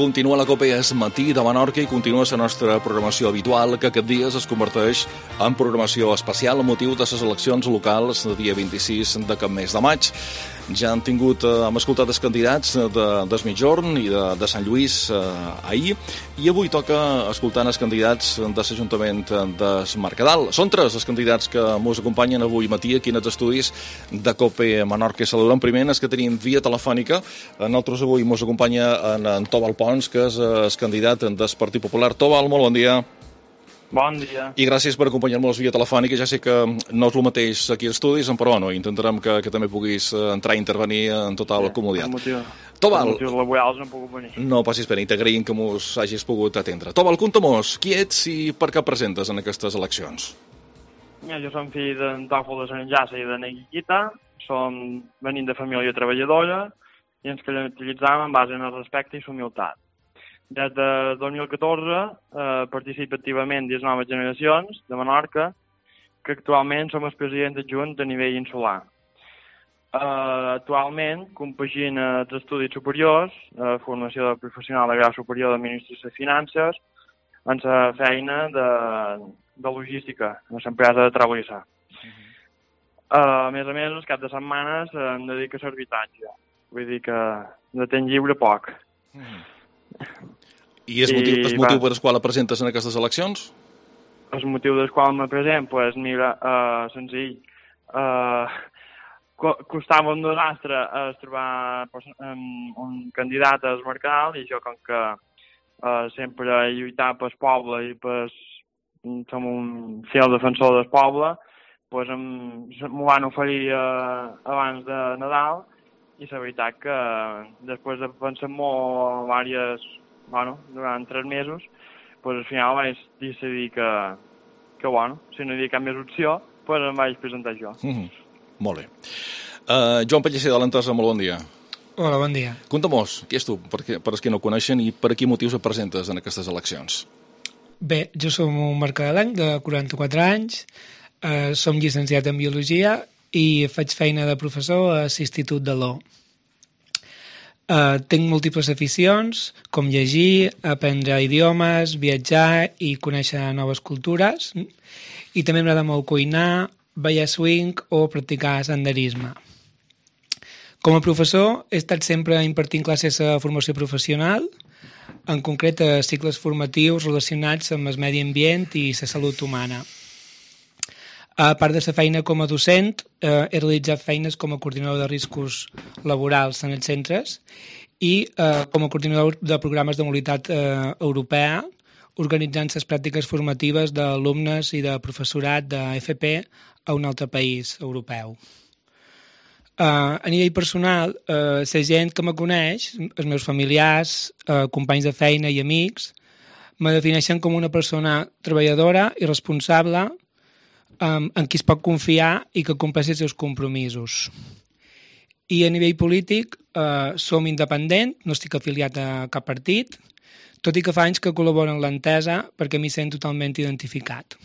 Continua la Copa Es Matí de Menorca i continua la nostra programació habitual, que aquest dia es converteix en programació especial amb motiu de les eleccions locals del dia 26 d'aquest mes de maig. Ja hem escoltat els candidats del Migjorn i de Sant Lluís ahir, i avui toca escoltar els candidats de l'Ajuntament de Mercadal. Són tres els candidats que ens acompanyen avui matí aquí en els estudis de Copa Menorca. Saludem primer els que tenim via telefònica. Nosaltres avui ens acompanya en Tobal Pons, que és el candidat del Partit Popular. Tobal, molt bon dia. Bon dia. I gràcies per acompanyar-nos via telefònica. Ja sé que no és el mateix aquí als estudis, però bueno, intentarem que també puguis entrar i intervenir en total comoditat. Tobal, per motius laborals no he pogut venir. No passis pena, i t'agraïm que mos hagis pogut atendre. Tobal, conta-mos, qui ets i per què presentes en aquestes eleccions? Jo som fill d'en Tòfol de Sant Enllaça i de Neguillita, venim de família treballadora i ens caracteritzàvem en base en el respecte i l'humilitat. Des de 2014 participa activament dins noves generacions de Menorca, que actualment som el president adjunt a nivell insular. Actualment compagina els estudis superiors, formació professional de grau superior d'Administració i Finances, en la feina de logística, en l'empresa de Traulissa. A més, els caps de setmanes em dedico a l'arbitratge. Vull dir que de temps lliure poc. I és motiu per el qual la presentes en aquestes eleccions? El motiu del qual me present, doncs mira, senzill. Costava un desastre trobar un candidat al Mercadal, i jo, com que sempre he lluitat pel poble i som un fiel defensor del poble, doncs m'ho van oferir abans de Nadal, i la veritat que després de pensar molt durant 3 mesos, al final vaig decidir que si no hi havia cap més opció, em vaig presentar jo. Molt bé. Joan Pellicer, de l'Entesa, molt bon dia. Hola, bon dia. Conta-mos, qui és tu, per als que no coneixen, i per a quin motius et presentes en aquestes eleccions? Bé, jo som un mercadalenc de 44 anys, som llicenciat en Biologia i faig feina de professor a l'Institut de l'O. Tinc múltiples aficions, com llegir, aprendre idiomes, viatjar i conèixer noves cultures, i també m'agrada molt cuinar, ballar swing o practicar senderisme. Com a professor he estat sempre impartint classes de formació professional, en concret a cicles formatius relacionats amb el medi ambient i la salut humana. A part de la feina com a docent, he realitzat feines com a coordinador de riscos laborals en els centres i com a coordinador de programes de mobilitat europea, organitzant les pràctiques formatives d'alumnes i de professorat d'FP a un altre país europeu. A nivell personal, la gent que me coneix, els meus familiars, companys de feina i amics, me defineixen com una persona treballadora i responsable, en qui es pot confiar i que compleixi els seus compromisos. I a nivell polític som independent, no estic afiliat a cap partit, tot i que fa anys que col·laboro en l'Entesa perquè m'hi sent totalment identificat.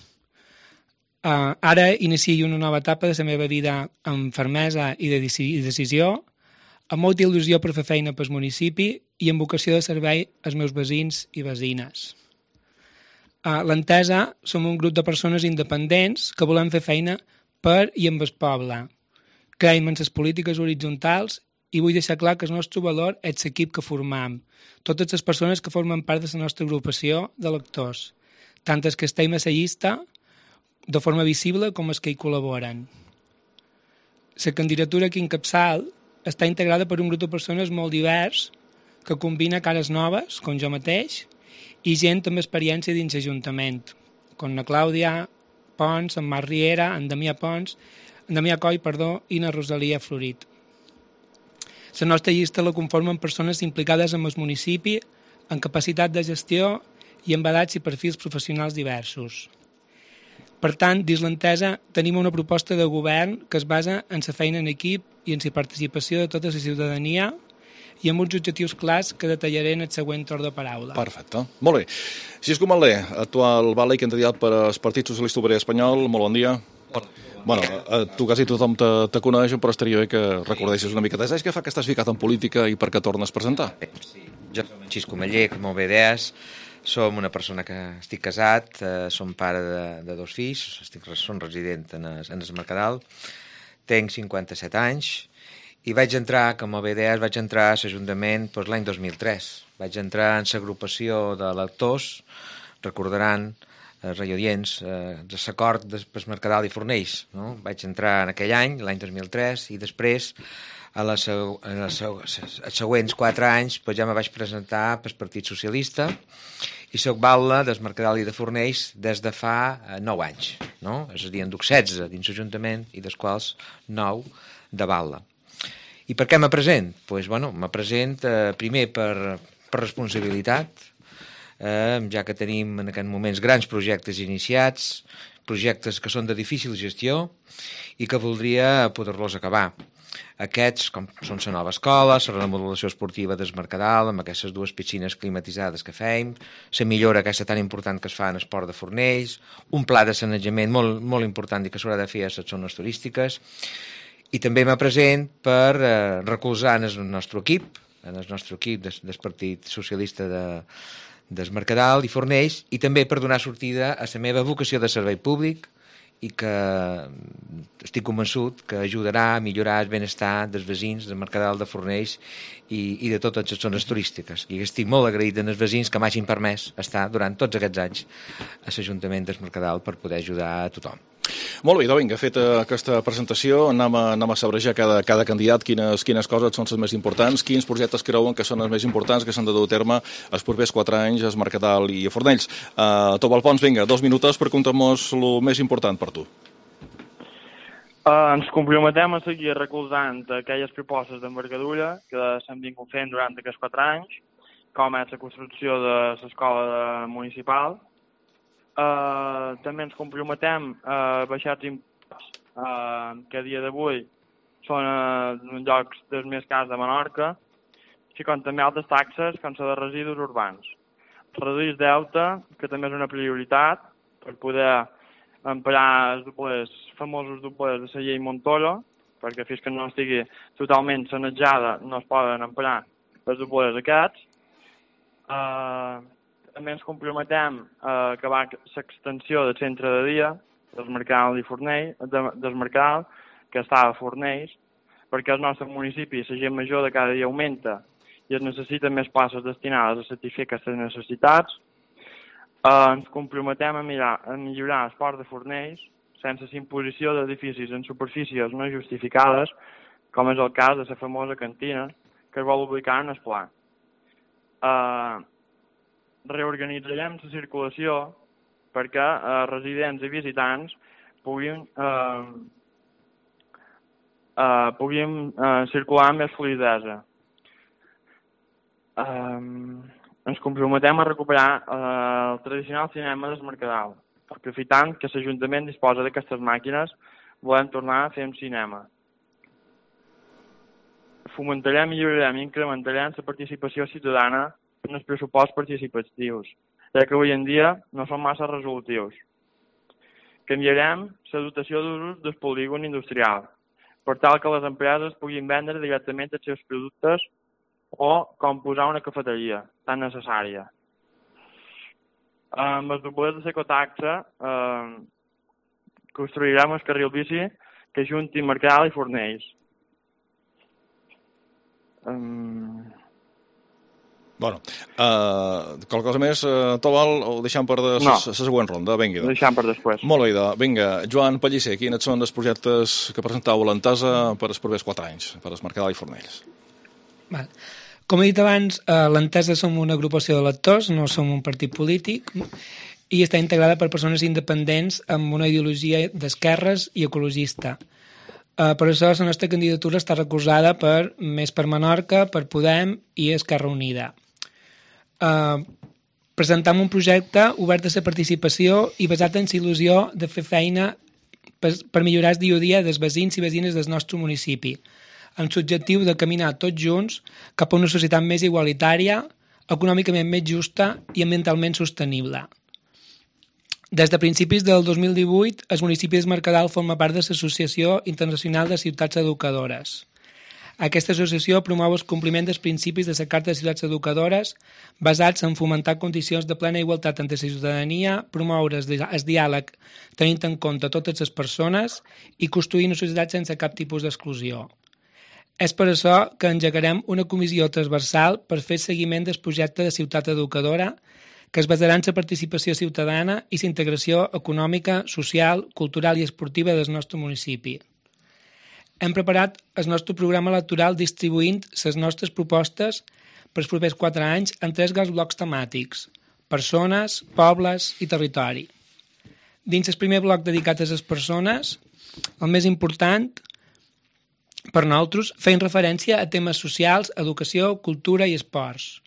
Ara inicio una nova etapa de la meva vida amb fermesa i de decisió, amb molta il·lusió per fer feina pel municipi i amb vocació de servei als meus veïns i veïnes. A l'Entesa som un grup de persones independents que volem fer feina per i amb el poble. Creiem en les polítiques horitzontals i vull deixar clar que el nostre valor és l'equip que formam, totes les persones que formen part de la nostra agrupació d'electors, tant els que estem a la llista de forma visible com els que hi col·laboren. La candidatura que encapçal està integrada per un grup de persones molt divers que combina cares noves, com jo mateix, i gent amb experiència dins l'Ajuntament, com la Clàudia Pons, en Marc Riera, en Damià Coll i na Rosalia Florit. La nostra llista la conformen persones implicades en el municipi, en capacitat de gestió i amb edats i perfils professionals diversos. Per tant, dins l'Entesa tenim una proposta de govern que es basa en la feina en equip i en la participació de tota la ciutadania i amb uns objectius clars que detallaré en el següent torn de paraula. Perfecte. Molt bé. Xisco Manlé, actual vale i candidat per al Partit Socialista Obrer Espanyol. Molt bon dia. Bueno, tu quasi tothom te coneix, però estaria bé que recordessis una mica. Saps què fa que estàs ficat en política i per què tornes a presentar? Jo som en Xisco Maller, que molt bé deies. Som una persona que estic casat, som pare de 2 fills, som resident en el Mercadal, tenc 57 anys i vaig entrar, com molt bé deies, vaig entrar a l'Ajuntament l'any 2003. Vaig entrar en l'agrupació de lectors, recordaran, radiodients, l'acord del Mercadal i Fornells. No? Vaig entrar en aquell any, l'any 2003, i després els següents 4 anys ja me vaig presentar pel Partit Socialista i soc batlle del Mercadal i de Fornells des de fa 9 anys. No? És a dir, en duc 16 dins l'Ajuntament i dels quals 9 de batlle. I per què me present? Doncs, me present primer per responsabilitat, ja que tenim en aquests moments grans projectes iniciats, projectes que són de difícil gestió i que voldria poder-los acabar. Aquests, com són la nova escola, la remodelació esportiva del Mercadal, amb aquestes 2 piscines climatitzades que fem, la millora aquesta tan important que es fa en el port de Fornells, un pla de sanejament molt, molt important i que s'haurà de fer a les zones turístiques, i també me present per recolzar en el nostre equip del Partit Socialista del Mercadal i Fornells, i també per donar sortida a la meva vocació de servei públic, i que estic convençut que ajudarà a millorar el benestar dels veïns del Mercadal de Fornells i de totes les zones turístiques. I estic molt agraït als veïns que m'hagin permès estar durant tots aquests anys a l'Ajuntament del Mercadal per poder ajudar a tothom. Molt bé, vinga, feta aquesta presentació, anem a sabrejar cada candidat quines coses són les més importants, quins projectes creuen que són els més importants que s'han de dur a terme els propers 4 anys al Mercadal i a Fornells. Tobal Pons, vinga, 2 minuts per contar-nos el més important per tu. Ens comprometem a seguir recolzant aquelles propostes d'envergadura que s'han vingut fent durant aquests 4 anys, com és la construcció de l'escola municipal. També ens comprometem a baixar els impostos que a dia d'avui són en llocs dels més cars de Menorca, així com també altres taxes com la de residus urbans. Reduir el deute, que també és una prioritat, per poder emprar els famosos doblers de la llei Montoro, perquè fins que no estigui totalment sanejada no es poden emprar els doblers aquests. També ens comprometem a acabar l'extensió del centre de dia del Mercadal i Fornells, del Mercadal, que està a Fornells, perquè al nostre municipi la gent major de cada dia augmenta i es necessiten més places destinades a satisfer aquestes necessitats. Ens comprometem a millorar el port de Fornells sense imposició d'edificis en superfícies no justificades, com és el cas de la famosa cantina que es vol ubicar en el pla. Reorganitzarem la circulació perquè residents i visitants puguin circular amb més fluïdesa. Ens comprometem a recuperar el tradicional cinema del Mercadal. Aprofitant que l'Ajuntament disposa d'aquestes màquines, volem tornar a fer un cinema. Fomentarem, millorarem i incrementarem la participació ciutadana en els pressuposts participatius, ja que avui en dia no són massa resolutius. Canviarem la dotació d'usos del polígon industrial, per tal que les empreses puguin vendre directament els seus productes o com posar una cafeteria tan necessària. Amb els doblers de l'ecotaxa construirem el carril bici que junti Mercadal i Fornells. Bueno, qualque cosa més, Tobal, o deixem per la següent ronda? Vinga. Ho deixem per després. Molt bé, vinga. Joan Pellicer, quins són els projectes que presenteu a l'Entesa per els propers 4 anys, per el Mercadal i Fornells? Val. Com he dit abans, l'Entesa som una agrupació de lectors, no som un partit polític, i està integrada per persones independents amb una ideologia d'esquerres i ecologista. Per això la nostra candidatura està recolzada per Més per Menorca, per Podem i Esquerra Unida. Presentam un projecte obert a la participació i basat en la il·lusió de fer feina per millorar el dia a dia dels veïns i veïnes del nostre municipi, amb l'objectiu de caminar tots junts cap a una societat més igualitària, econòmicament més justa i ambientalment sostenible. Des de principis del 2018, el municipi del Mercadal forma part de l'Associació Internacional de Ciutats Educadores. Aquesta associació promou el compliment dels principis de la Carta de Ciutats Educadores basats en fomentar condicions de plena igualtat entre la ciutadania, promoure el diàleg tenint en compte totes les persones i construir una societat sense cap tipus d'exclusió. És per això que engegarem una comissió transversal per fer seguiment del projecte de ciutat educadora que es basarà en la participació ciutadana i la integració econòmica, social, cultural i esportiva del nostre municipi. Hem preparat el nostre programa electoral distribuint les nostres propostes per als propers 4 anys en 3 grans blocs temàtics: persones, pobles i territori. Dins el primer bloc dedicat a les persones, el més important per nosaltres feien referència a temes socials, educació, cultura i esports.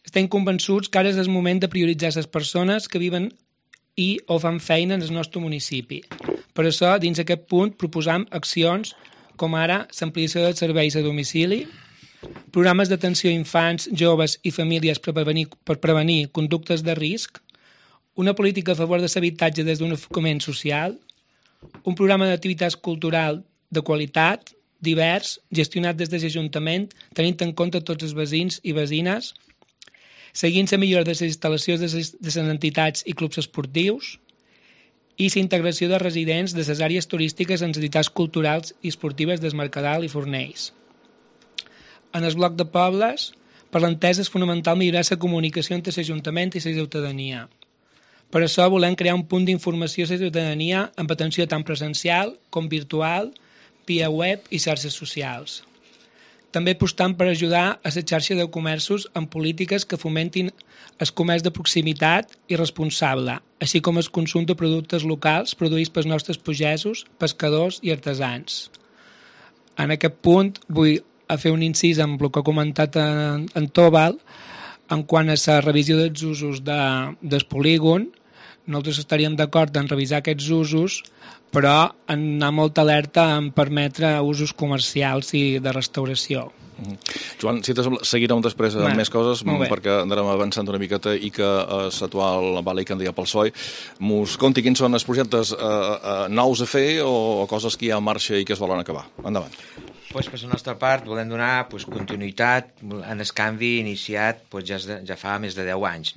Estem convençuts que ara és el moment de prioritzar les persones que viven i o fan feina en el nostre municipi. Per això, dins aquest punt, proposam accions com ara l'ampliació dels serveis a domicili, programes d'atenció a infants, joves i famílies per prevenir conductes de risc, una política a favor de l'habitatge des d'un enfocament social, un programa d'activitats cultural de qualitat, divers, gestionat des de l'Ajuntament, tenint en compte tots els veïns i veïnes, seguint la millora de les instal·lacions de les entitats i clubs esportius i la integració de residents de les àrees turístiques en les entitats culturals i esportives del Mercadal i Fornells. En el bloc de pobles, per l'entesa és fonamental millorar la comunicació entre l'Ajuntament i la ciutadania. Per això volem crear un punt d'informació a la ciutadania amb atenció tant presencial com virtual, via web i xarxes socials. També apostant per ajudar a la xarxa de comerços amb polítiques que fomentin el comerç de proximitat i responsable, així com el consum de productes locals produïts pels nostres pagesos, pescadors i artesans. En aquest punt vull fer un incís amb el que ha comentat en Tòbal en quant a la revisió dels usos del polígon. Nosaltres estaríem d'acord en revisar aquests usos, però en anar molt alerta en permetre usos comercials i de restauració. Joan, si t'has seguirem després amb més coses, perquè anarem avançant una miqueta i que l'actual Vali candidat pel PSOE mos conti quins són els projectes nous a fer o coses que hi ha en marxa i que es volen acabar. Endavant. Per la nostra part volem donar continuïtat en el canvi iniciat ja fa més de 10 anys.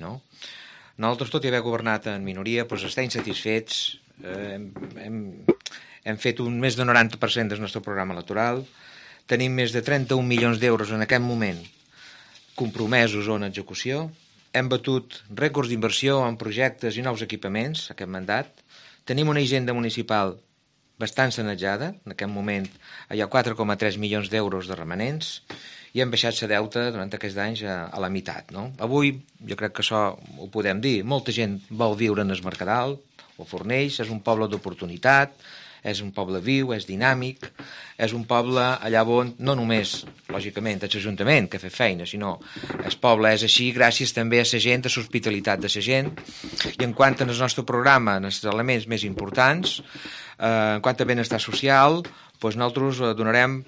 Nosaltres, tot i haver governat en minoria, estem satisfets. Hem fet més del 90% del nostre programa electoral. Tenim més de 31 milions d'euros en aquest moment compromesos o en execució. Hem batut rècords d'inversió en projectes i nous equipaments aquest mandat. Tenim una hisenda municipal bastant sanejada. En aquest moment hi ha 4,3 milions d'euros de remanents i hem baixat la deuta durant aquests anys a la meitat. Avui, jo crec que això ho podem dir, molta gent vol viure en el Mercadal o Fornells, és un poble d'oportunitat, és un poble viu, és dinàmic, és un poble allà on no només, lògicament, és l'Ajuntament que fa feina, sinó el poble és així gràcies també a la gent, a l'hospitalitat de la gent. I en quant al nostre programa, en els elements més importants, en quant a benestar social, nosaltres donarem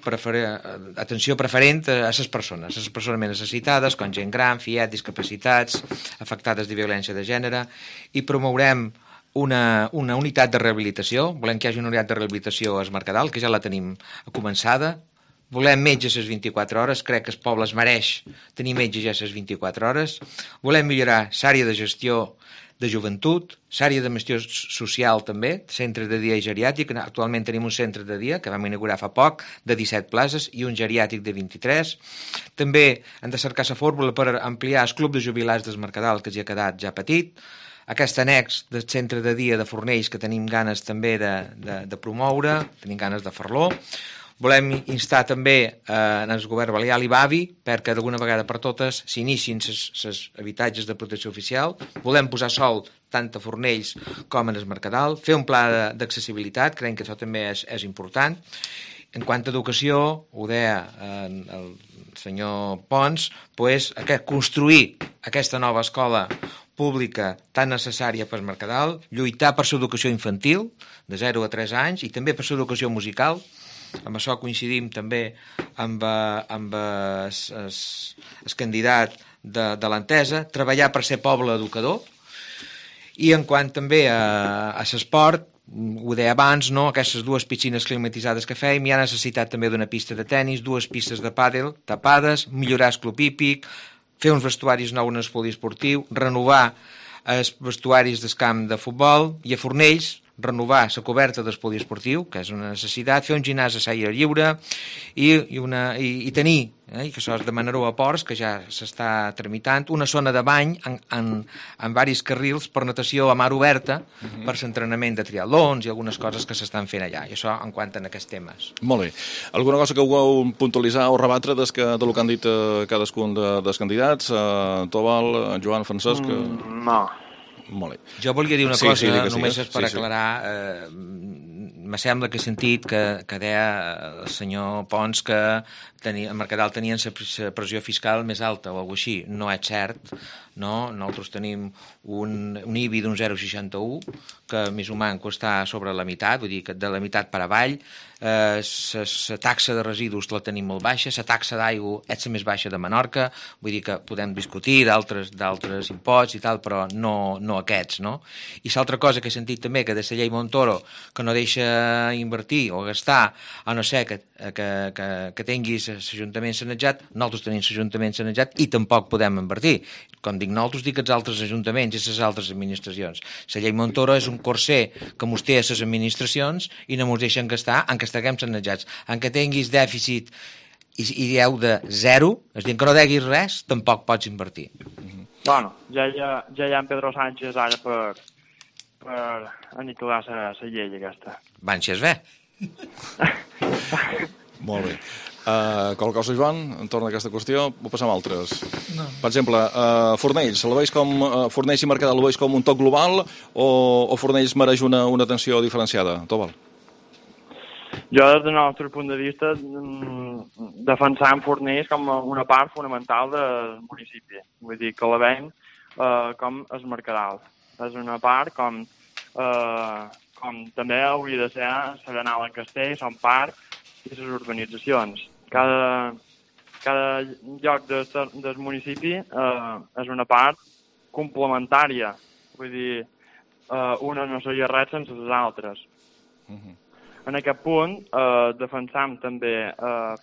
atenció preferent a les persones més necessitades, com gent gran, fiat, discapacitats, afectades de violència de gènere, i promourem una unitat de rehabilitació. Volem que hi hagi una unitat de rehabilitació a Mercadal, que ja la tenim començada. Volem metges a les 24 hores, crec que el poble es mereix tenir metges ja a les 24 hores. Volem millorar l'àrea de gestió de joventut, l'àrea de gestió social també, centre de dia i geriàtric. Actualment tenim un centre de dia que vam inaugurar fa poc, de 17 places, i un geriàtric de 23. També hem de cercar la fórmula per ampliar el club de jubilats del Mercadal, que ja ha quedat ja petit. Aquest annex del centre de dia de Fornells que tenim ganes també de promoure, tenim ganes de fer-lo. Volem instar també en el govern balear l'IBAVI perquè d'alguna vegada per totes s'inicien els habitatges de protecció oficial. Volem posar sol tant a Fornells com en el Mercadal, fer un pla d'accessibilitat, creiem que això també és important. En quant a educació, ho deia el senyor Pons, construir aquesta nova escola pública tan necessària per Mercadal, lluitar per l'educació infantil, de 0 a 3 anys, i també per l'educació musical. Amb això coincidim també amb el candidat de l'Entesa, treballar per ser poble educador. I en quant també a l'esport, ho deia abans, no? Aquestes 2 piscines climatitzades que fèiem, hi ha necessitat també d'una pista de tennis, 2 pistes de pàdel tapades, millorar el club hípic, fer uns vestuaris nous en el poliesportiu, renovar els vestuaris del camp de futbol, i a Fornells renovar la coberta del poliesportiu, que és una necessitat, fer un gimnàs a l'aire lliure i tenir, i que això es demanarà a Ports, que ja s'està tramitant, una zona de bany en diversos carrils per natació a mar oberta, per l'entrenament de triatlons i algunes coses que s'estan fent allà, i això en quant a aquests temes. Molt bé. Alguna cosa que vulgueu puntualitzar o rebatre del que han dit cadascun dels candidats? Tobal, Joan, Francesc? No. Molt bé. Jo volia dir una cosa, només sí, per aclarar. Me sembla que he sentit que deia el senyor Pons que a Mercadal tenien la pressió fiscal més alta o alguna cosa així. No és cert, no? Nosaltres tenim un IBI d'un 0,61 que més o menys està sobre la meitat, vull dir que de la meitat per avall. La taxa de residus la tenim molt baixa, la taxa d'aigua és la més baixa de Menorca, vull dir que podem discutir d'altres imposts i tal, però no aquests, no? I l'altra cosa que he sentit també, que de la llei Montoro, que no deixa invertir o gastar, a no ser que tinguis l'Ajuntament sanejat, nosaltres tenim l'Ajuntament sanejat i tampoc podem invertir. Com dic nosaltres, dic els altres ajuntaments i les altres administracions. La llei Montoro és un corser que mos té a les administracions i no mos deixen gastar en què estiguem sanejats. En què tinguis dèficit i deute de 0, és a dir, que no deguis res, tampoc pots invertir. Bueno, ja hi ha en Pedro Sánchez ara per aniquilar la llei aquesta. Van si es ve. Molt bé. Qualque cosa, Joan, entorn a aquesta qüestió? Ho passem a altres. No. Per exemple, Fornells, Fornells i Mercadal el veus com un toc global o Fornells mereix una atenció diferenciada? Tobal. Jo, des del nostre punt de vista, defensam Fornells com una part fonamental del municipi. Vull dir que la veiem com el Mercadal. És una part com també hauria de ser Serenal en Castell, Son Parc i les urbanitzacions. Cada lloc del municipi és una part complementària. Vull dir, una no seria res sense les altres. En aquest punt, defensam també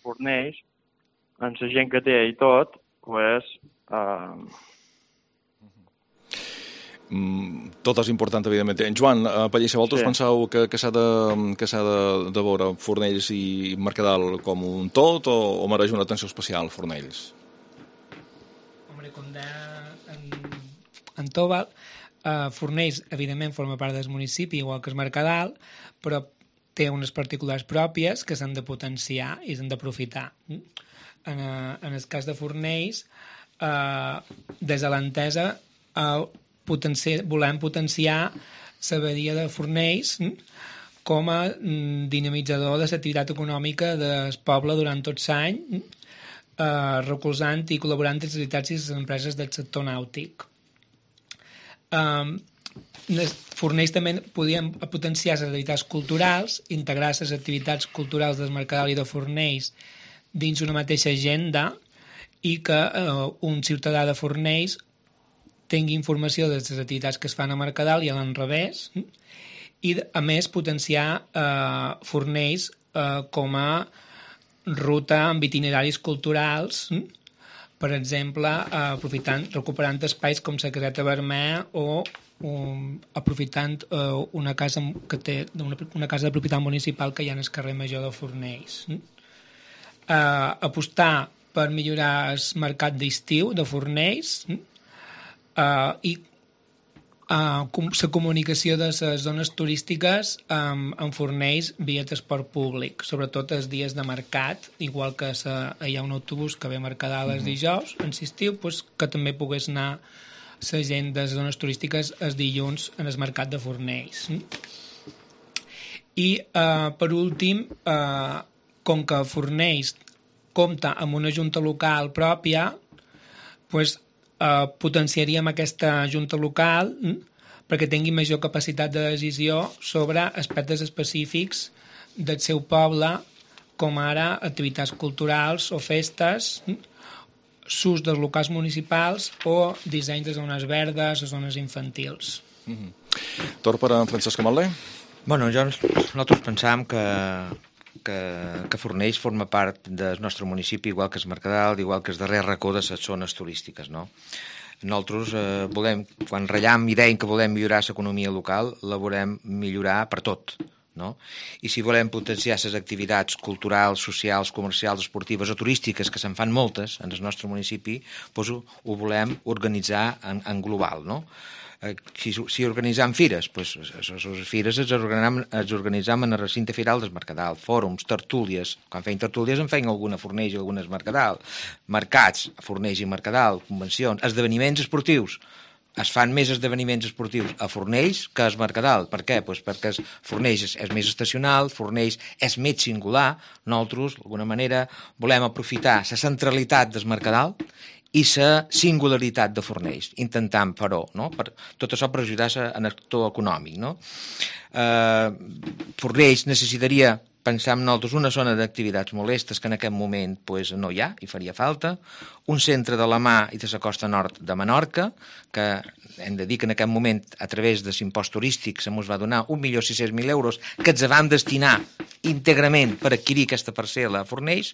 Fornells, amb la gent que té i tot, pues, tot és important, evidentment. Joan, Pallissa, vosaltres penseu que s'ha de veure Fornells i Mercadal com un tot o mereix una atenció especial Fornells? Home, com deia en Tobal, Fornells, evidentment, forma part del municipi, igual que el Mercadal, però té unes particulars pròpies que s'han de potenciar i s'han d'aprofitar. En el cas de Fornells, des de l'entesa, volem potenciar la badia de Fornells com a dinamitzador de l'activitat econòmica del poble durant tot l'any, recolzant i col·laborant amb les entitats i les empreses del sector nàutic. Fornells també podien potenciar les activitats culturals, integrar les activitats culturals del Mercadal i de Fornells dins una mateixa agenda i que un ciutadà de Fornells tingui informació de les activitats que es fan a Mercadal i a l'enrevés, i a més potenciar Fornells com a ruta amb itineraris culturals, per exemple, recuperant espais com la Caseta Vermell o aprofitant una casa de propietat municipal que hi ha en el carrer Major de Fornells. Apostar per millorar el mercat d'estiu de Fornells i la comunicació de les zones turístiques en Fornells via transport públic, sobretot els dies de mercat, igual que hi ha un autobús que ve a Mercadal els dijous, en l'estiu, que també pogués anar la gent de les zones turístiques els dilluns en el mercat de Fornells. I, per últim, com que Fornells compta amb una junta local pròpia, potenciaríem aquesta junta local perquè tingui major capacitat de decisió sobre aspectes específics del seu poble, com ara activitats culturals o festes, s'ús dels locals municipals o disseny de zones verdes o zones infantils. Torn per en Francesc Ametller. Bueno, nosaltres pensam que Fornells forma part del nostre municipi, igual que es Mercadal, igual que el darrer racó de les zones turístiques, no? Nosaltres volem, quan rellam i deim que volem millorar l'economia local, la volem millorar per tot, no? I si volem potenciar les activitats culturals, socials, comercials, esportives o turístiques, que se'n fan moltes en el nostre municipi, doncs ho volem organitzar en global, no? Si organitzam fires, doncs les fires les organitzam en el recinte firal del Mercadal, fòrums, tertúlies, quan feien tertúlies en feien alguna a Fornells i algunes Mercadal, mercats a Fornells i Mercadal, convencions, esdeveniments esportius, es fan més esdeveniments esportius a Fornells que a Mercadal. Per què? Pues perquè Fornells és més estacional, Fornells és més singular. Nosaltres, d'alguna manera, volem aprofitar la centralitat del Mercadal i la singularitat de Fornells, intentant fer-ho, no? Tot això per ajudar en l'actor econòmic, no? Fornells necessitaria, pensam nosaltres, una zona d'activitats molestes que en aquest moment pues, no hi ha i faria falta, un centre de la mà i de la costa nord de Menorca, que hem de dir que en aquest moment, a través de l'impost turístic, se mos va donar 1.600.000 euros que ens vam destinar íntegrament per adquirir aquesta parcel·la a Fornells,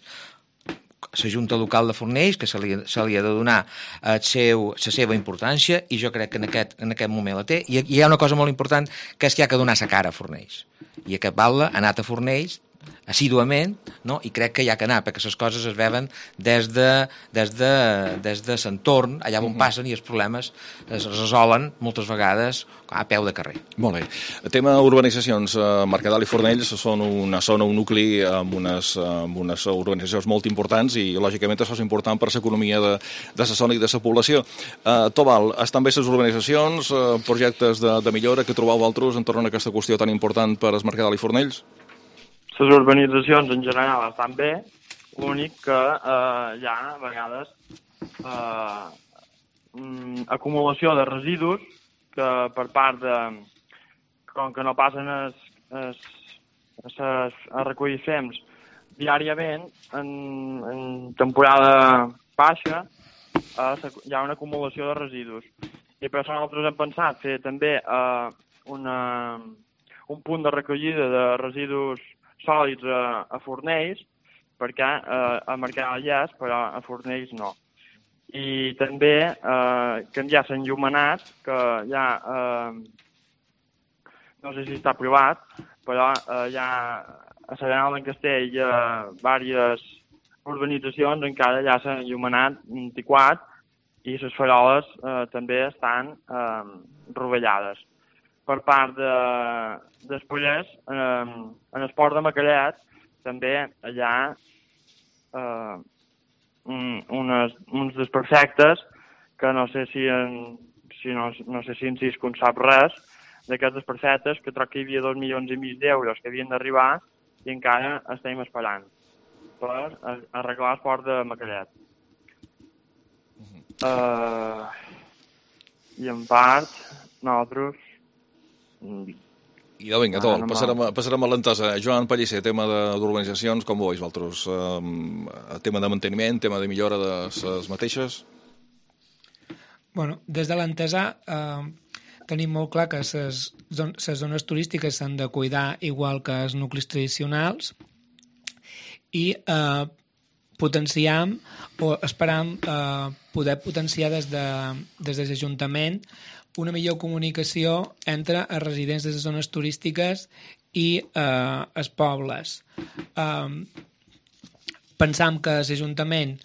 la Junta Local de Fornells, que se li ha de donar la seva importància, i jo crec que en aquest moment la té. I hi ha una cosa molt important, que és que hi ha que donar la cara a Fornells. I aquest Batlle ha anat a Fornells assíduament, no? I crec que hi ha que anar, perquè les coses es veuen des de l'entorn, allà on passen, i els problemes es resolen moltes vegades a peu de carrer. Molt bé. El tema urbanitzacions, Mercadal i Fornells són una zona, un nucli amb unes urbanitzacions molt importants i, lògicament, això és important per l'economia de la zona i de la població. Tobal, estan bé les urbanitzacions, projectes de millora que trobeu vosaltres en torno a aquesta qüestió tan important per al Mercadal i Fornells? Les urbanitzacions en general estan bé, l'únic que hi ha a vegades acumulació de residus que per part de... com que no passen a recollir fems diàriament, en temporada baixa hi ha una acumulació de residus. I per això nosaltres hem pensat fer també un punt de recollida de residus sòlids a Fornells, perquè a Mercadal hi és, però a Fornells no. I també canviar l'enllumenat, que ja no sé si està aprovat, però ja a Serenal d'en Castell hi ha diverses urbanitzacions encara ja s'han enllumenat 24 i les faroles també estan rovellades. Per part d'Espollers, en el port de Macaret, també hi ha uns desperfectes que no sé si en Cisco en sap res, d'aquests desperfectes, que troc que hi havia 2,5 milions d'euros que havien d'arribar i encara estem esperant per arreglar el port de Macaret. I en part, nosaltres... I vinga, passarem a l'entesa. Joan Pellicer, tema d'urbanitzacions, com ho veus vosaltres? Tema de manteniment, tema de millora de les mateixes? Bueno, des de l'entesa tenim molt clar que les zones turístiques s'han de cuidar igual que els nuclis tradicionals i potenciam o esperam poder potenciar des de l'Ajuntament una millor comunicació entre els residents de les zones turístiques i els pobles. Pensam que l'Ajuntament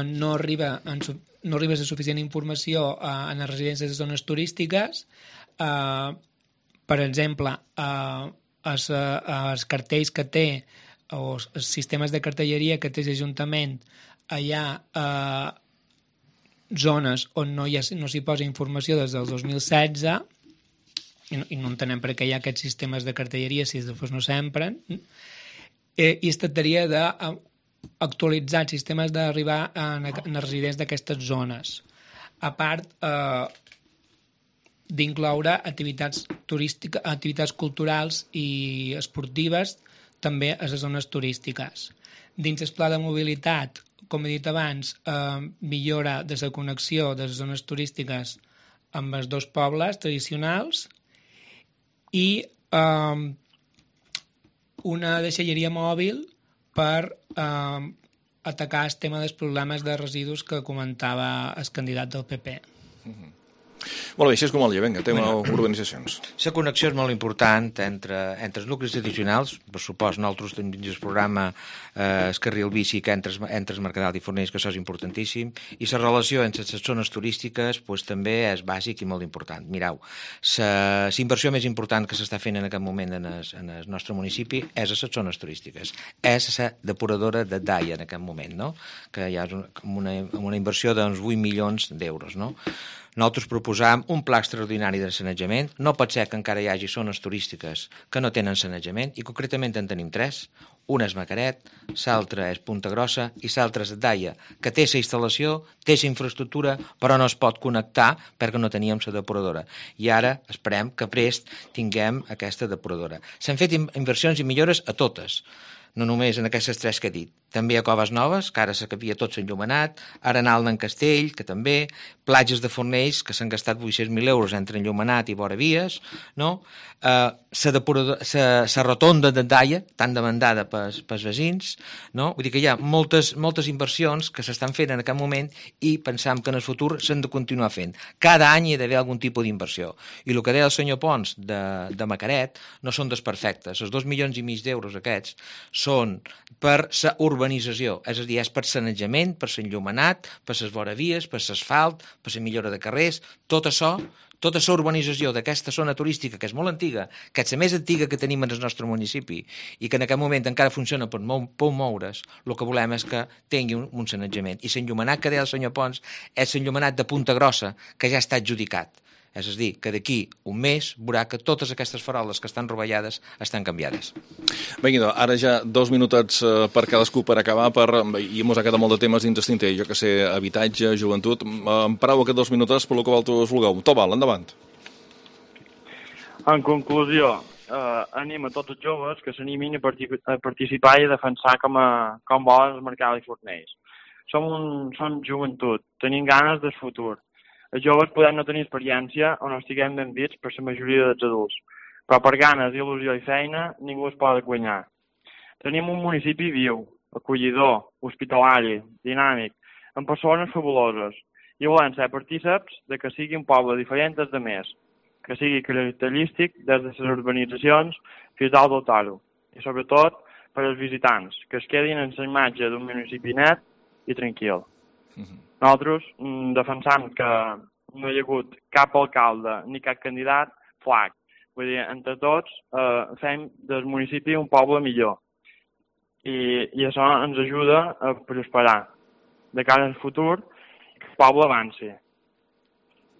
no arriba la suficient informació en els residents de les zones turístiques. Per exemple, els cartells que té o els sistemes de cartelleria que té l'Ajuntament, hi ha zones on no s'hi posa informació des del 2016 i no entenem per què hi ha aquests sistemes de cartelleria si després no s'empren, i es tractaria d'actualitzar els sistemes d'arribar en els residents d'aquestes zones, a part d'incloure activitats turístiques, activitats culturals i esportives també a les zones turístiques. Dins el pla de mobilitat, com he dit abans, millora de la connexió de les zones turístiques amb els dos pobles tradicionals i una deixalleria mòbil per atacar el tema dels problemes de residus que comentava el candidat del PP. Molt bé, així és com el dia, vinga, tema organitzacions. La connexió és molt important entre els nuclis addicionals, per supost, nosaltres tenim el programa el carril bici que entre el Mercadal i Fornells, que això és importantíssim, i la relació entre les zones turístiques també és bàsic i molt important. Mireu, la inversió més important que s'està fent en aquest moment en el nostre municipi és a les zones turístiques. És la depuradora de Daia en aquest moment, no? Que hi ha una inversió d'uns 8 milions d'euros, no? Nosaltres proposam un pla extraordinari de sanejament. No pot ser que encara hi hagi zones turístiques que no tenen sanejament, i concretament en tenim 3. Una és Macaret, l'altra és Punta Grossa i l'altra és Daia, que té la instal·lació, té la infraestructura, però no es pot connectar perquè no teníem la depuradora. I ara esperem que prest tinguem aquesta depuradora. S'han fet inversions i millores a totes, no només en aquestes 3 que he dit. També a Coves Noves, que ara s'acabia tot s'enllumenat, Arenal d'en Castell, que també, platges de Fornells, que s'han gastat 800.000 euros entre enllumenat i vora vies, no? La rotonda de Daia, tan demandada pels veïns, no? Vull dir que hi ha moltes inversions que s'estan fent en aquest moment i pensam que en el futur s'han de continuar fent. Cada any hi ha d'haver algun tipus d'inversió. I el que deia el senyor Pons de Macaret no són desperfectes. Els 2,5 milions d'euros aquests són per la urbanització, és a dir, és per sanejament, per l'enllumenat, per les voravies, per l'asfalt, per la millora de carrers, tot això, tota la urbanització d'aquesta zona turística, que és molt antiga, que és la més antiga que tenim en el nostre municipi i que en aquest moment encara funciona per moure's, el que volem és que tingui un sanejament. I l'enllumenat que deia el senyor Pons és l'enllumenat de Punta Grossa, que ja està adjudicat. És a dir, que d'aquí un mes veurà que totes aquestes faroles que estan rovellades estan canviades. Bé, idò, ara ja 2 minutets per cadascú per acabar, i mos ha quedat molt de temes dins d'estinter, jo que sé, habitatge, joventut. Em pareu aquests 2 minutets per lo que vosaltres vulgueu. Tobal, endavant. En conclusió, anima tots els joves que s'animin a participar i a defensar com volen el Mercadal i Fornells. Som joventut, tenim ganes del futur. Els joves podem no tenir experiència o no estiguem ben dits per la majoria dels adults, però per ganes, il·lusió i feina ningú es pot guanyar. Tenim un municipi viu, acollidor, hospitalari, dinàmic, amb persones fabuloses, i volem ser partíceps de que sigui un poble diferent des de més, que sigui característic des de les urbanitzacions fins a dotar-ho, i sobretot per als visitants, que es quedin en la imatge d'un municipi net i tranquil. Nosaltres defensam que no hi ha hagut cap alcalde ni cap candidat flac. Vull dir, entre tots fem del municipi un poble millor. I això ens ajuda a prosperar de cara al futur, que el poble avanci.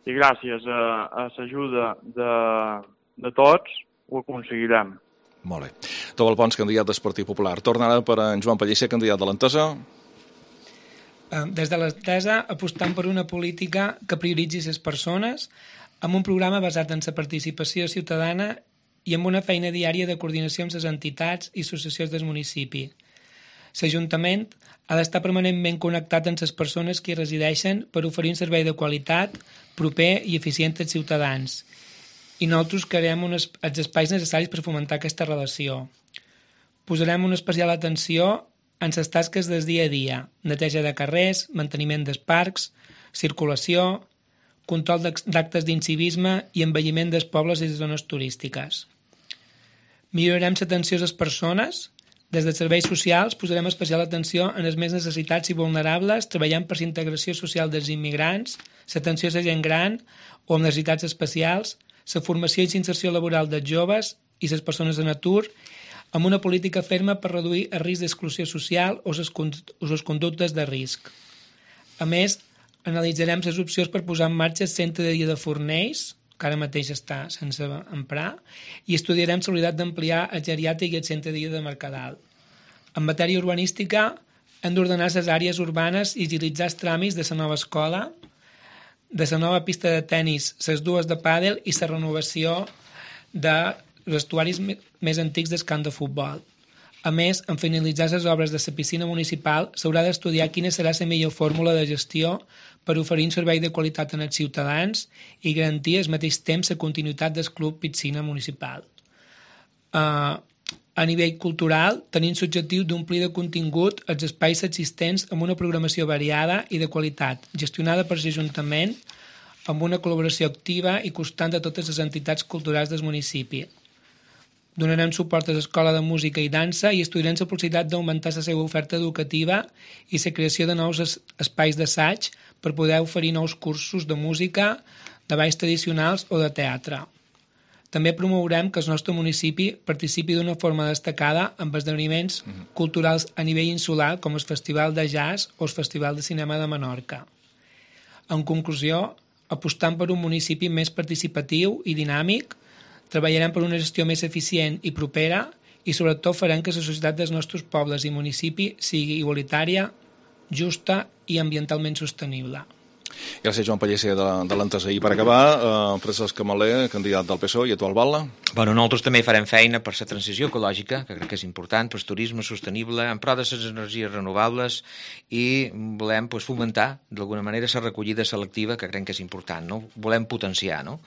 I gràcies a l'ajuda de tots ho aconseguirem. Molt bé. Tobal Pons, candidat del Partit Popular. Torna ara per en Joan Pellicer, candidat de l'Entesa. Des de l'Entesa apostam per una política que prioritzi les persones amb un programa basat en la participació ciutadana i amb una feina diària de coordinació amb les entitats i associacions del municipi. L'Ajuntament ha d'estar permanentment connectat amb les persones que hi resideixen per oferir un servei de qualitat, proper i eficient als ciutadans. I nosaltres crearem els espais necessaris per fomentar aquesta relació. Posarem una especial atenció en les tasques del dia a dia, neteja de carrers, manteniment dels parcs, circulació, control d'actes d'incivisme i embelliment dels pobles i les zones turístiques. Millorarem l'atenció a les persones. Des dels serveis socials posarem especial atenció en els més necessitats i vulnerables, treballant per la integració social dels immigrants, l'atenció a la gent gran o amb necessitats especials, la formació i l'inserció laboral dels joves i les persones en atur, amb una política ferma per reduir el risc d'exclusió social o les conductes de risc. A més, analitzarem les opcions per posar en marxa el centre de dia de Fornells, que ara mateix està sense emprar, i estudiarem la possibilitat d'ampliar el geriàtric i el centre de dia de Mercadal. En matèria urbanística, hem d'ordenar les àrees urbanes i agilitzar els tràmits de la nova escola, de la nova pista de tennis, les dues de pàdel i la renovació de els estuaris més antics del camp de futbol. A més, en finalitzar les obres de la piscina municipal, s'haurà d'estudiar quina serà la millor fórmula de gestió per oferir un servei de qualitat als ciutadans i garantir al mateix temps la continuïtat del club piscina municipal. a nivell cultural, tenint l'objectiu d'omplir de contingut els espais existents amb una programació variada i de qualitat, gestionada per l'Ajuntament amb una col·laboració activa i constant de totes les entitats culturals del municipi. Donarem suport a l'Escola de Música i Dansa i estudiarem la possibilitat d'augmentar la seva oferta educativa i la creació de nous espais d'assaig per poder oferir nous cursos de música, de balls tradicionals o de teatre. També promourem que el nostre municipi participi d'una forma destacada amb esdeveniments culturals a nivell insular com el Festival de Jazz o el Festival de Cinema de Menorca. En conclusió, apostant per un municipi més participatiu i dinàmic, treballarem per una gestió més eficient i propera i sobretot farem que la societat dels nostres pobles i municipi sigui igualitària, justa i ambientalment sostenible. Gràcies, Joan Pellicer, de l'Entesa. I per acabar, Francesc Camaler, candidat del PSOE i actual batlle. Bueno, nosaltres també farem feina per la transició ecològica, que crec que és important, per turisme sostenible, en pro de les energies renovables i volem fomentar, d'alguna manera, la recollida selectiva, que crec que és important, no? Volem potenciar, no?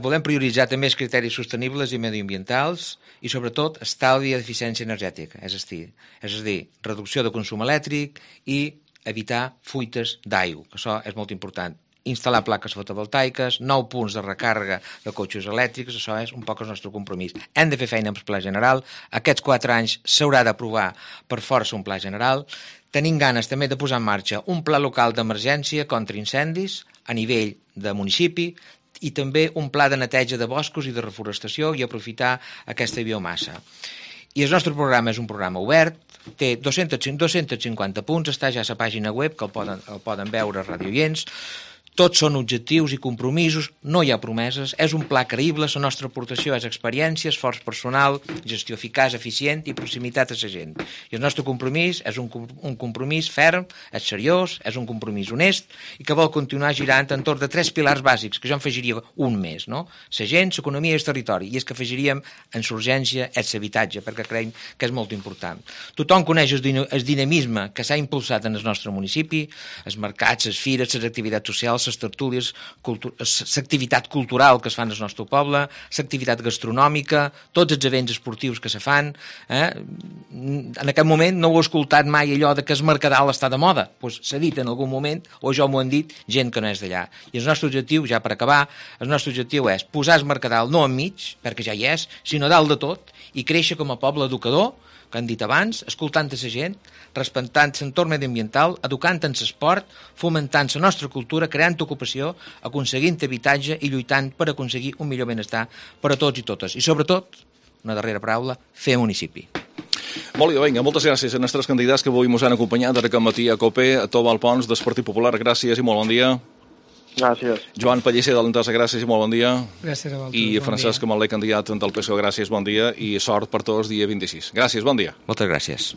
Volem prioritzar també els criteris sostenibles i mediambientals i, sobretot, estalvi i eficiència energètica, és a dir, reducció de consum elèctric i evitar fuites d'aigua, que això és molt important. Instal·lar plaques fotovoltaiques, 9 punts de recàrrega de cotxes elèctrics, això és un poc el nostre compromís. Hem de fer feina amb el pla general, aquests 4 anys s'haurà d'aprovar per força un pla general, tenim ganes també de posar en marxa un pla local d'emergència contra incendis a nivell de municipi, i també un pla de neteja de boscos i de reforestació i aprofitar aquesta biomassa. I el nostre programa és un programa obert, té 250 punts, està ja a la pàgina web, que el poden veure radioients, tots són objectius i compromisos, no hi ha promeses, és un pla creïble, la nostra aportació és experiència, esforç personal, gestió eficaç, eficient i proximitat a la gent. I el nostre compromís és un compromís ferm, és seriós, és un compromís honest i que vol continuar girant entorn de 3 pilars bàsics, que jo en afegiria un més, no? La gent, l'economia i el territori, i és que afegiríem en l'urgència és l'habitatge, perquè creiem que és molt important. Tothom coneix el dinamisme que s'ha impulsat en el nostre municipi, els mercats, les fires, les activitats socials, les tertúlies, l'activitat cultural que es fan al nostre poble, l'activitat gastronòmica, tots els events esportius que se fan. En aquest moment no ho he escoltat mai allò de que el Mercadal està de moda. Pues s'ha dit en algun moment, o jo m'ho han dit, gent que no és d'allà. I el nostre objectiu, ja per acabar, el nostre objectiu és posar el Mercadal no enmig, perquè ja hi és, sinó dalt de tot, i créixer com a poble educador, que han dit abans, escoltant la gent, respectant l'entorn mediambiental, educant en l'esport, fomentant la nostra cultura, creant ocupació, aconseguint habitatge i lluitant per aconseguir un millor benestar per a tots i totes. I sobretot, una darrera paraula, fer municipi. Molt bé, vinga, moltes gràcies a nostres candidats que avui ens han acompanyat aquest matí a COPE, a Tobal Pons, del Partit Popular. Gràcies i molt bon dia. Gràcies. Joan Pellicer, de l'Entesa, gràcies i molt bon dia. Gràcies a vosaltres. I Francesc Camaler, candidat del PSOE, gràcies, bon dia i sort per tots dia 26. Gràcies, bon dia. Moltes gràcies.